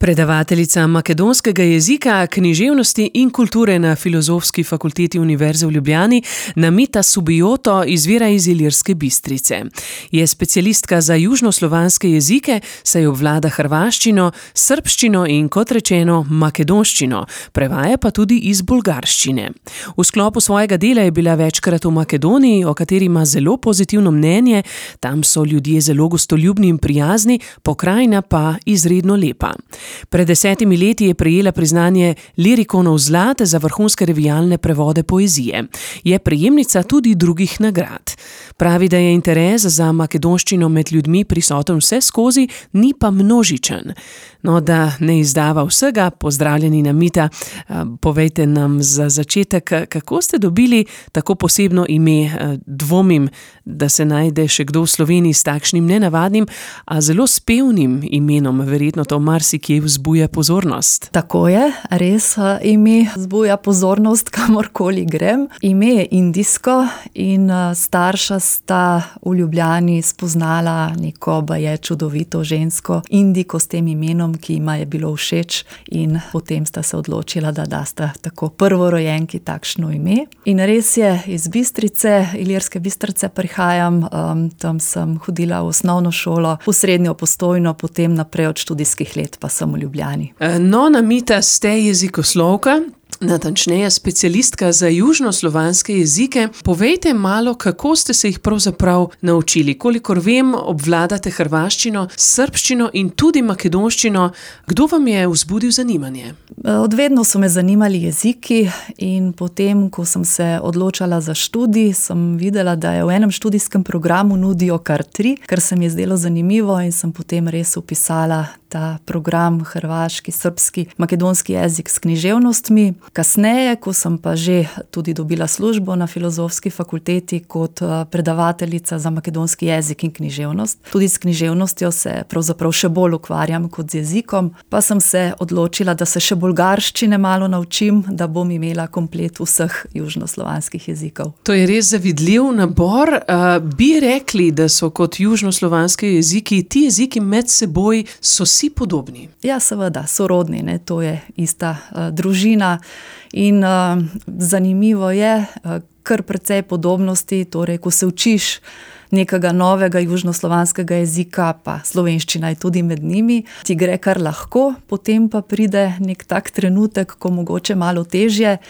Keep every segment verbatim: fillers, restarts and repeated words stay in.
Predavateljica makedonskega jezika, književnosti in kulture na Filozofski fakulteti Univerze v Ljubljani, Namita Subijoto, izvira iz Ilirske Bistrice. Je specialistka za južnoslovanske jezike, saj obvlada hrvaščino, srbščino in, kot rečeno, makedonščino, prevaja pa tudi iz bolgarščine. V sklopu svojega dela je bila večkrat v Makedoniji, o kateri ima zelo pozitivno mnenje, tam so ljudje zelo gostoljubni in prijazni, pokrajina pa izredno lepa. Pred desetimi leti je prejela priznanje Lirikonov zlate za vrhunske revijalne prevode poezije. Je prejemnica tudi drugih nagrad. Pravi, da je interes za makedonščino med ljudmi prisoten vse skozi, ni pa množičen. No, da ne izdava vsega, pozdravljeni Namita, povejte nam za začetek, kako ste dobili tako posebno ime. Dvomim, da se najde še kdo v Sloveniji s takšnim nenavadnim, a zelo spevnim imenom, verjetno to marsikje vzbuja pozornost. Tako je, res ime vzbuja pozornost, kamorkoli grem. Ime je indijsko in starša sta v Ljubljani spoznala neko baje čudovito žensko Indiko s tem imenom, ki jima je bilo všeč, in potem sta se odločila, da dasta tako prvorojenki takšno ime. In res je, iz Bistrice, Ilirske Bistrice prihajam, um, tam sem hodila v osnovno šolo, v srednjo Postojno, potem naprej od študijskih let pa sem v Ljubljani. No, Namita, ste jezikoslovka, natančneje specialistka za južnoslovanske jezike. Povejte malo, kako ste se jih pravzaprav naučili. Kolikor vem, obvladate hrvaščino, srbščino in tudi makedonščino. Kdo vam je vzbudil zanimanje? Odvedno so me zanimali jeziki in potem, ko sem se odločala za študij, sem videla, da je v enem študijskem programu nudijo kar tri, kar se mi je zdelo zanimivo, in sem potem res vpisala ta program hrvaški, srbski, makedonski jezik s književnostmi. Kasneje, ko sem pa že tudi dobila službo na Filozofski fakulteti kot predavateljica za makedonski jezik in književnost, tudi s književnostjo se pravzaprav še bolj ukvarjam kot z jezikom, pa sem se odločila, da se še bolgarščine malo naučim, da bom imela komplet vseh južnoslovanskih jezikov. To je res zavidljiv nabor. Uh, bi rekli, da so kot južnoslovanski jeziki, ti jeziki med seboj so si podobni? Ja, seveda, sorodni, ne? To je ista uh, družina. In uh, zanimivo je, uh, kar precej podobnosti, torej ko se učiš nekega novega južnoslovanskega jezika, pa slovenščina je tudi med njimi, ti gre kar lahko, potem pa pride nek tak trenutek, ko mogoče malo težje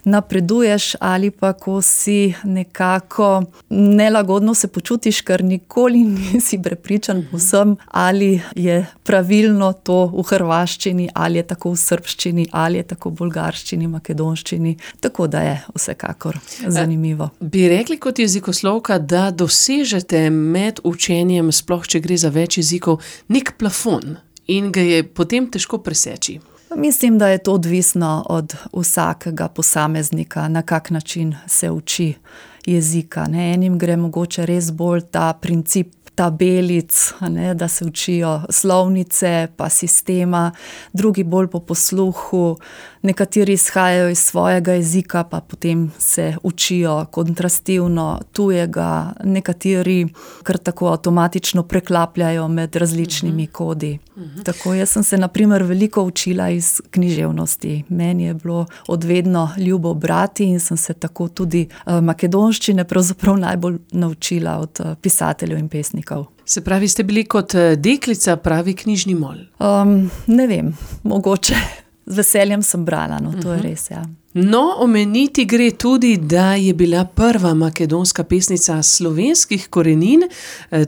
napreduješ ali pa ko si nekako nelagodno se počutiš, ker nikoli nisi prepričan povsem, ali je pravilno to v hrvaščini, ali je tako v srbščini, ali je tako v bolgarščini, makedonščini, tako da je vsekakor zanimivo. A, bi rekli kot jezikoslovka, da doseže med učenjem, sploh če gre za več jezikov, nek plafon in ga je potem težko preseči? Mislim, da je to odvisno od vsakega posameznika, na kak način se uči jezika. Ne? Enim gre mogoče res bolj ta princip tabelic, ne, da se učijo slovnice pa sistema, drugi bolj po posluhu, nekateri izhajajo iz svojega jezika, pa potem se učijo kontrastivno tujega, nekateri kar tako avtomatično preklapljajo med različnimi uh-huh. kodi. Uh-huh. Tako, jaz sem se na primer veliko učila iz književnosti. Meni je bilo odvedno ljubo brati in sem se tako tudi uh, makedonščine pravzaprav najbolj naučila od uh, pisateljev in pesnikov. Se pravi, ste bili kot deklica pravi knjižni mol? Um, ne vem, mogoče. Z veseljem sem brala, no, to je res, ja. No, omeniti gre tudi, da je bila prva makedonska pesnica slovenskih korenin,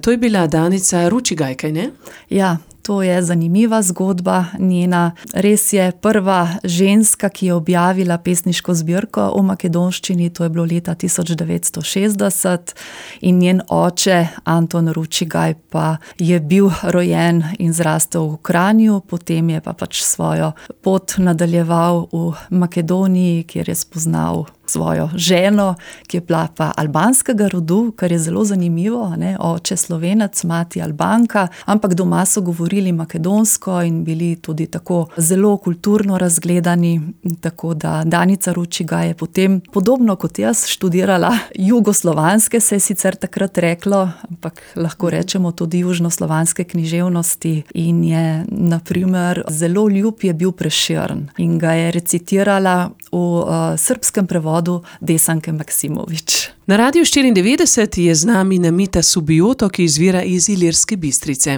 to je bila Danica Ručigaj, kaj ne? Ja, to je zanimiva zgodba njena. Res je prva ženska, ki je objavila pesniško zbirko v makedonščini, to je bilo leta tisoč devetsto šestdeset, in njen oče Anton Ručigaj pa je bil rojen in zrastel v Kranju, potem je pa pač svojo pot nadaljeval v Makedoniji, kjer je spoznal svojo ženo, ki je bila pa albanskega rodu, kar je zelo zanimivo, ne, oče Slovenec, mati Albanka, ampak doma so govorili makedonsko in bili tudi tako zelo kulturno razgledani, tako da Danica Ručiga je potem, podobno kot jaz, študirala jugoslovanske, se je sicer takrat reklo, ampak lahko rečemo tudi južnoslovanske književnosti in je, na primer, zelo ljub je bil Prešern in ga je recitirala v uh, srbskem prevodu Desanke Maksimović. Na Radiu štiriindevetdeset je z nami Namita Subijoto, ki izvira iz Ilirske Bistrice.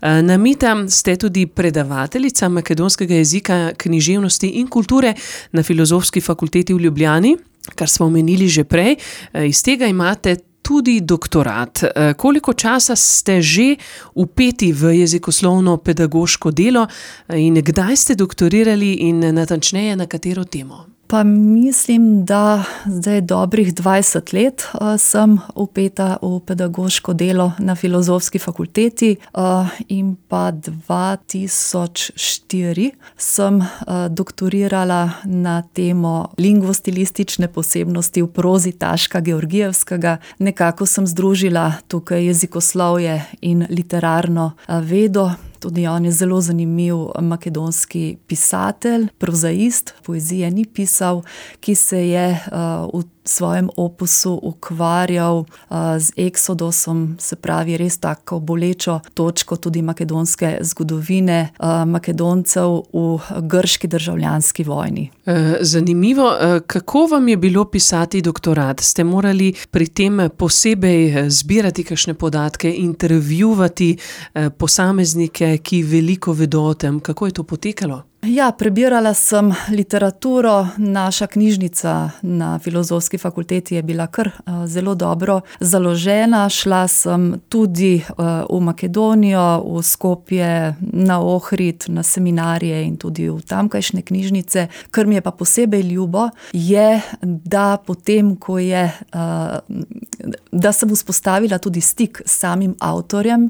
Namita, ste tudi predavateljica makedonskega jezika, književnosti in kulture na Filozofski fakulteti v Ljubljani, kar smo omenili že prej. Iz tega imate tudi doktorat. Koliko časa ste že vpeti v jezikoslovno pedagoško delo in kdaj ste doktorirali in natančneje na katero temo? Pa mislim, da zdaj dobrih dvajset let uh, sem vpeta v pedagoško delo na Filozofski fakulteti uh, in pa dva tisoč štiri sem uh, doktorirala na temo lingvostilistične posebnosti v prozi Taška Georgijevskega. Nekako sem združila tukaj jezikoslovje in literarno uh, vedo. Tudi on je zelo zanimiv makedonski pisatelj, prozaist, poezije ni pisal, ki se je uh, v svojem opusu ukvarjal uh, z eksodosom, se pravi res tako bolečo točko tudi makedonske zgodovine uh, Makedoncev v grški državljanski vojni. Zanimivo, kako vam je bilo pisati doktorat? Ste morali pri tem posebej zbirati kakšne podatke, intervjuvati posameznike, ki veliko vedo o tem? Kako je to potekalo? Ja, prebirala sem literaturo, naša knjižnica na Filozofski fakulteti je bila kar uh, zelo dobro založena. Šla sem tudi uh, v Makedonijo, v Skopje, na Ohrid, na seminarije in tudi v tamkajšnje knjižnice. Kar mi je pa posebej ljubo, je, da potem, ko je, uh, da sem vzpostavila tudi stik s samim avtorjem,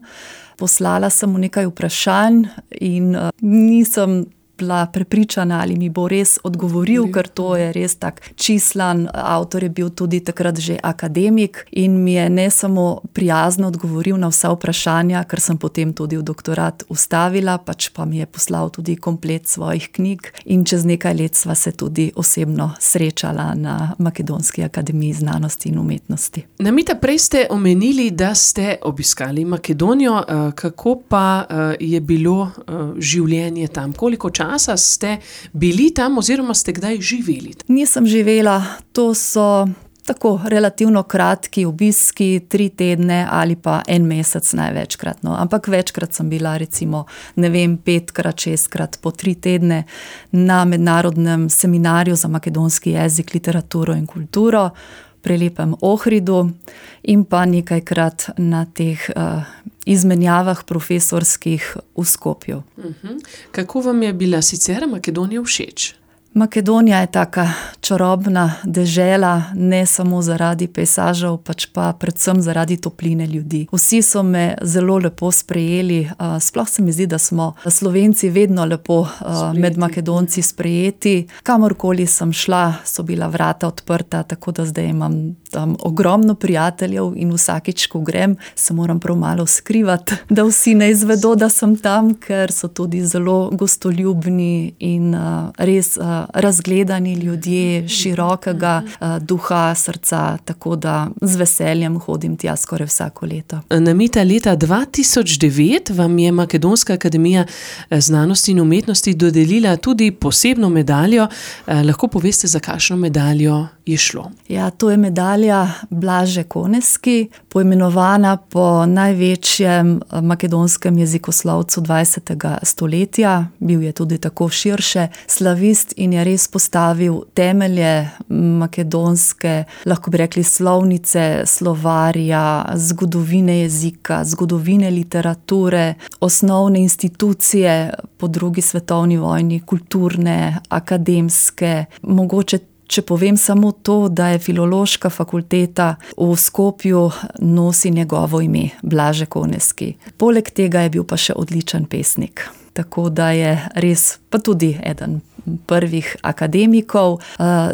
poslala sem mu nekaj vprašanj in uh, nisem bila prepričana, ali mi bo res odgovoril, ker to je res tak čislan, avtor je bil tudi takrat že akademik in mi je ne samo prijazno odgovoril na vsa vprašanja, ker sem potem tudi v doktorat ustavila, pač pa mi je poslal tudi komplet svojih knjig in čez nekaj let sva se tudi osebno srečala na Makedonski akademiji znanosti in umetnosti. Namita, prej ste omenili, da ste obiskali Makedonijo, kako pa je bilo življenje tam? Koliko časa časa ste bili tam oziroma ste kdaj živeli? Nisem živela, to so tako relativno kratki obiski, tri tedne ali pa en mesec največkrat. No. Ampak večkrat sem bila recimo, ne vem, petkrat, šestkrat po tri tedne na mednarodnem seminarju za makedonski jezik, literaturo in kulturo, prelepem Ohridu in pa nekajkrat na teh uh, izmenjavah profesorskih v Skopju. Uh-huh. Kako vam je bila sicer Makedonija všeč? Makedonija je taka čarobna dežela, ne samo zaradi pejsažev, pač pa predvsem zaradi topline ljudi. Vsi so me zelo lepo sprejeli, sploh se mi zdi, da smo Slovenci vedno lepo sprejeti. Med Makedonci sprejeti. Kamorkoli sem šla, so bila vrata odprta, tako da zdaj imam tam ogromno prijateljev in vsakič, ko grem, se moram prav malo skrivati, da vsi ne izvedo, da sem tam, ker so tudi zelo gostoljubni in res razgledani ljudje, širokega uh, duha, srca, tako da z veseljem hodim tja skoraj vsako leto. Namita, leta dva tisoč devet vam je Makedonska akademija znanosti in umetnosti dodelila tudi posebno medaljo. Eh, lahko poveste, za kakšno medaljo je šlo? Ja, to je medalja Blaže Koneski, poimenovana po največjem makedonskem jezikoslovcu dvajsetega stoletja. Bil je tudi tako širše slavist in je res postavil temelje makedonske, lahko bi rekli, slovnice, slovarja, zgodovine jezika, zgodovine literature, osnovne institucije po drugi svetovni vojni, kulturne, akademske. Mogoče, če povem samo to, da je Filološka fakulteta v Skopju nosi njegovo ime, Blaže Koneski. Poleg tega je bil pa še odličen pesnik. tako da je res pa tudi eden prvih akademikov,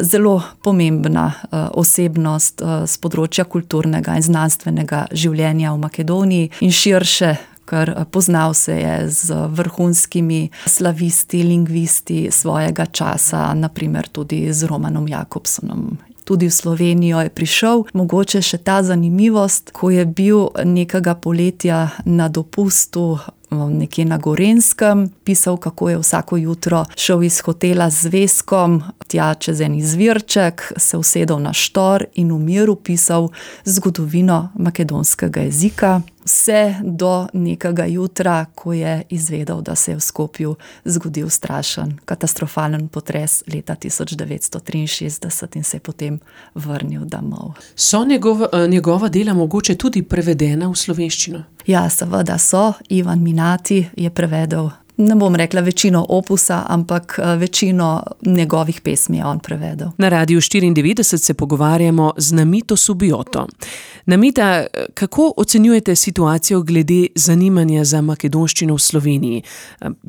zelo pomembna osebnost z področja kulturnega in znanstvenega življenja v Makedoniji in širše, ker poznal se je z vrhunskimi slavisti, lingvisti svojega časa, naprimer tudi z Romanom Jakobsonom. Tudi v Slovenijo je prišel. Mogoče še ta zanimivost, ko je bil nekega poletja na dopustu nekje na Gorenjskem, pisal, kako je vsako jutro šel iz hotela z zvezkom, tja čez en izvirček, se usedel na štor in v miru pisal zgodovino makedonskega jezika. Vse do nekega jutra, ko je izvedel, da se je v Skopju zgodil strašen, katastrofalen potres leta tisoč devetsto triinšestdeset in se je potem vrnil domov. So njegova, njegova dela mogoče tudi prevedena v slovenščino? Ja, seveda so. Ivan Minati je prevedel, ne bom rekla večino opusa, ampak večino njegovih pesmi je on prevedel. Na Radiu štiriindevetdeset se pogovarjamo z Namito Subijoto. Namita, kako ocenjujete situacijo glede zanimanja za makedonščino v Sloveniji?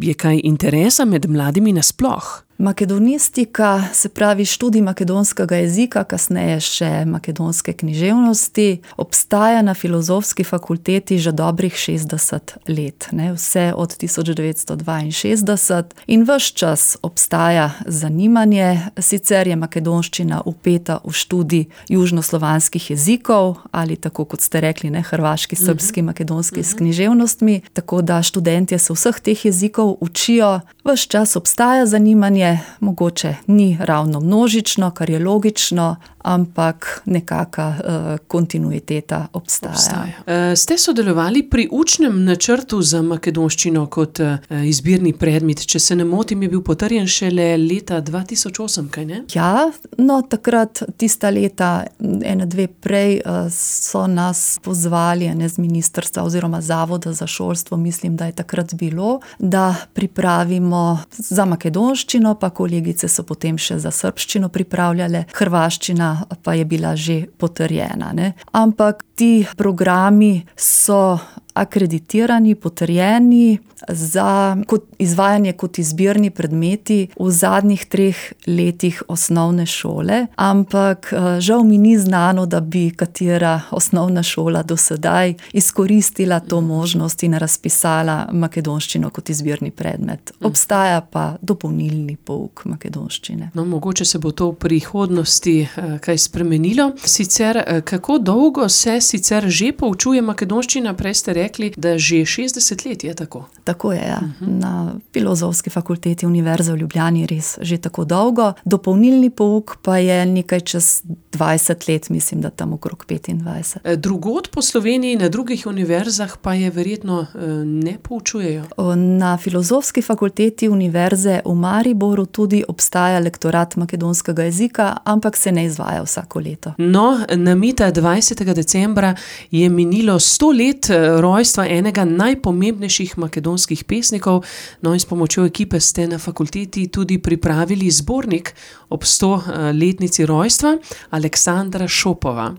Je kaj interesa med mladimi nasploh? Makedonistika, se pravi študij makedonskega jezika, kasneje še makedonske književnosti, obstaja na Filozofski fakulteti že dobrih šestdeset let, ne, vse od tisoč devetsto dvainšestdeset in ves čas obstaja zanimanje, sicer je makedonščina vpeta v študij južnoslovanskih jezikov ali tako kot ste rekli, ne, hrvaški, srbski, makedonski s književnostmi, tako da študentje se vseh teh jezikov učijo, ves čas obstaja zanimanje. Mogoče ni ravno množično, kar je logično, ampak nekaka uh, kontinuiteta obstaja. obstaja. Uh, ste sodelovali pri učnem načrtu za makedonščino kot uh, izbirni predmet, če se ne motim, je bil potrjen šele leta dva tisoč osem, kaj ne? Ja, no takrat, tista leta, ene dve prej, uh, so nas pozvali ne, z ministrstva oziroma Zavoda za šolstvo, mislim, da je takrat bilo, da pripravimo za makedonščino, pa kolegice so potem še za srbščino pripravljale, hrvaščina pa je bila že potrjena, ne. Ampak ti programi so akreditirani, potrjeni za kot izvajanje kot izbirni predmeti v zadnjih treh letih osnovne šole, ampak žal mi ni znano, da bi katera osnovna šola do sedaj izkoristila to možnost in razpisala makedonščino kot izbirni predmet. Obstaja pa dopolnilni pouk makedonščine. No, mogoče se bo to v prihodnosti kaj spremenilo. Sicer, kako dolgo se sicer že poučuje makedonščina? Prej ste rekli, da že šestdeset let je tako. Tako je, ja. Na Filozofski fakulteti Univerze v Ljubljani res že tako dolgo. Dopolnilni pouk pa je nekaj čez dvajset let, mislim, da tam okrog petindvajset. Drugod po Sloveniji, na drugih univerzah pa je verjetno ne poučujejo? Na Filozofski fakulteti Univerze v Mariboru tudi obstaja lektorat makedonskega jezika, ampak se ne izvaja vsako leto. No, Namita, dvajsetega decembra je minilo sto let rojstva enega najpomembnejših makedonskih pesnikov, no in s pomočjo ekipe ste na fakulteti tudi pripravili zbornik ob sto letnici rojstva Aleksandra Šopova.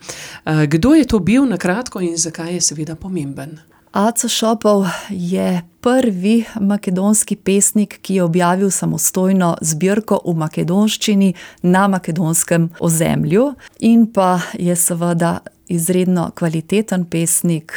Kdo je to bil na kratko in zakaj je seveda pomemben? Aco Šopov je prvi makedonski pesnik, ki je objavil samostojno zbirko v makedonščini na makedonskem ozemlju in pa je seveda izredno kvaliteten pesnik,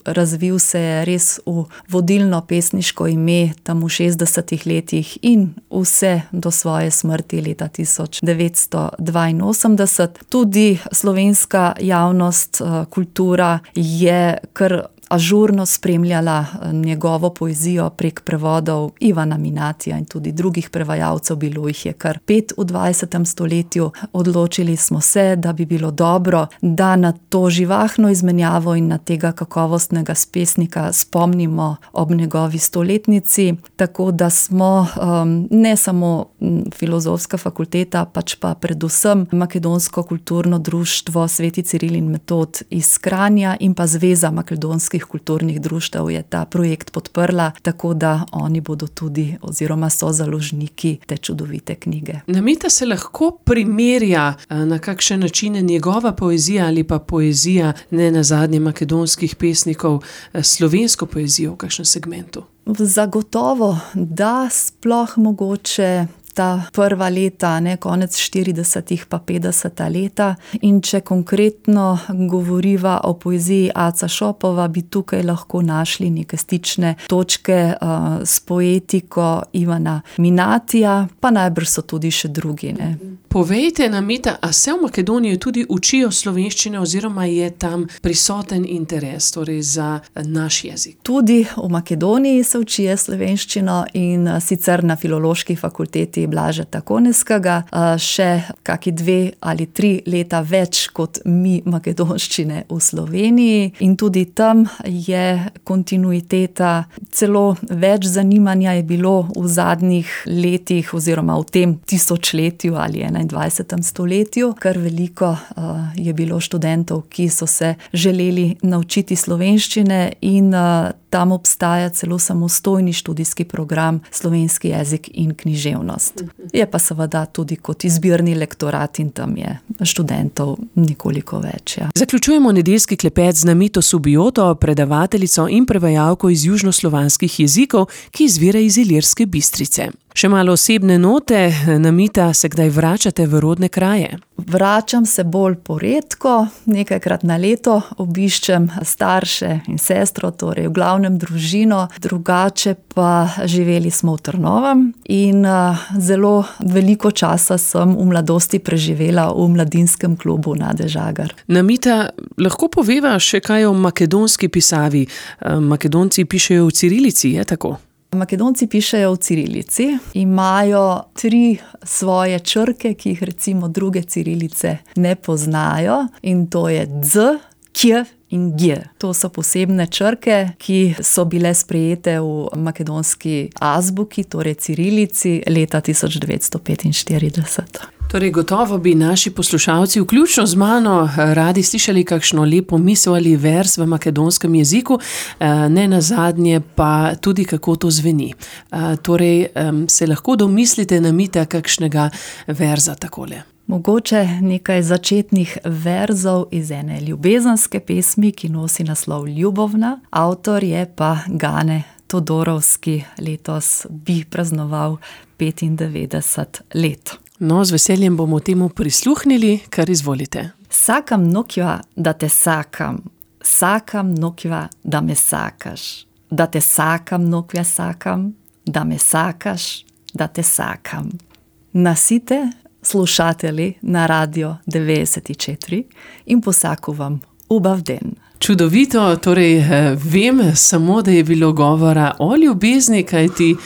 razvil se je res v vodilno pesniško ime tam v šestdesetih letih in vse do svoje smrti leta tisoč devetsto dvainosemdeset. Tudi slovenska javnost, kultura je kar ažurno spremljala njegovo poezijo prek prevodov Ivana Minatija in tudi drugih prevajalcev, bilo jih je kar pet v dvajsetem stoletju. Odločili smo se, da bi bilo dobro, da na to živahno izmenjavo in na tega kakovostnega pesnika spomnimo ob njegovi stoletnici, tako da smo um, ne samo Filozofska fakulteta, pač pa predvsem Makedonsko kulturno društvo Sveti Ciril in Metod iz Kranja in pa Zveza makedonskih slovenskih kulturnih društev je ta projekt podprla, tako da oni bodo tudi oziroma so založniki te čudovite knjige. Namita se lahko primerja na kakšen način njegova poezija ali pa poezija ne nazadnje makedonskih pesnikov s slovensko poezijo v kakšnem segmentu? Zagotovo, da sploh mogoče ta prva leta, ne, konec štiridesetih pa petdeseta leta. In če konkretno govoriva o poeziji Aca Šopova, bi tukaj lahko našli neke stične točke uh, s poetiko Ivana Minatija, pa najbrž so tudi še drugi, ne. Povejte, Namita, a se v Makedoniji tudi učijo slovenščine oziroma je tam prisoten interes, torej za naš jezik? Tudi v Makedoniji se učijo slovenščino in sicer na Filološki fakulteti Blažeta Koneskega, še kaki dve ali tri leta več kot mi makedonščine v Sloveniji in tudi tam je kontinuiteta, celo več zanimanja je bilo v zadnjih letih oziroma v tem tisočletju ali enaindvajsetem stoletju, kar veliko uh, je bilo študentov, ki so se želeli naučiti slovenščine in uh, tam obstaja celo samostojni študijski program Slovenski jezik in književnost. Je pa seveda tudi kot izbirni lektorat in tam je študentov nekoliko več. Ja. Zaključujemo nedeljski klepet z Namito Subijoto, predavateljico in prevajalko iz južnoslovanskih jezikov, ki izvira iz Ilirske Bistrice. Še malo osebne note, Namita, se kdaj vračate v rodne kraje? Vračam se bolj poredko, nekajkrat na leto obiščem starše in sestro, torej v glavnem družino, drugače pa živeli smo v Trnovem in uh, zelo veliko časa sem v mladosti preživela v mladinskem klubu Nade Žagar. Namita, lahko poveva še kaj o makedonski pisavi? Makedonci pišejo v cirilici, je tako? Makedonci pišejo v cirilici, imajo tri svoje črke, ki jih recimo druge cirilice ne poznajo in to je D, K in G. To so posebne črke, ki so bile sprejete v makedonski azbuki, torej cirilici, leta tisoč devetsto petinštirideset. Torej, gotovo bi naši poslušalci, vključno z mano, radi slišali kakšno lepo misel ali vers v makedonskem jeziku, ne nazadnje pa tudi, kako to zveni. Torej, se lahko domislite, Namita, kakšnega verza takole? Mogoče nekaj začetnih verzov iz ene ljubezenske pesmi, ki nosi naslov Ljubovna. Avtor je pa Gane Todorovski, letos bi praznoval petindevetdeset let. No, z veseljem bomo temu prisluhnili, kar izvolite. Sakam nokva, da te sakam, sakam nokva, da me sakaš, da te sakam nokva sakam, da me sakaš, da te sakam. Nasite slušatelji na radio devetdeset četiri in posaku vam ubav den. Čudovito, torej vem samo, da je bilo govora o ljubezni, kajti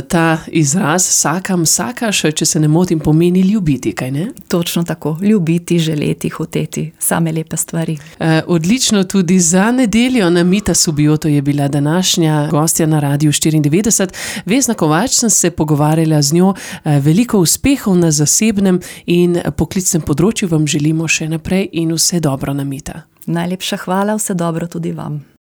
ta izraz sakam, sakaš, če se ne motim, pomeni ljubiti, kaj ne? Točno tako, ljubiti, želeti, hoteti, same lepe stvari. Odlično, tudi za nedeljo Namita Subijoto je bila današnja gostja na Radiu štiriindevetdeset. Vesna Kovač, sem se pogovarjala z njo, veliko uspehov na zasebnem in poklicnem področju vam želimo še naprej in vse dobro, Namita. Najlepša hvala, vse dobro tudi vam.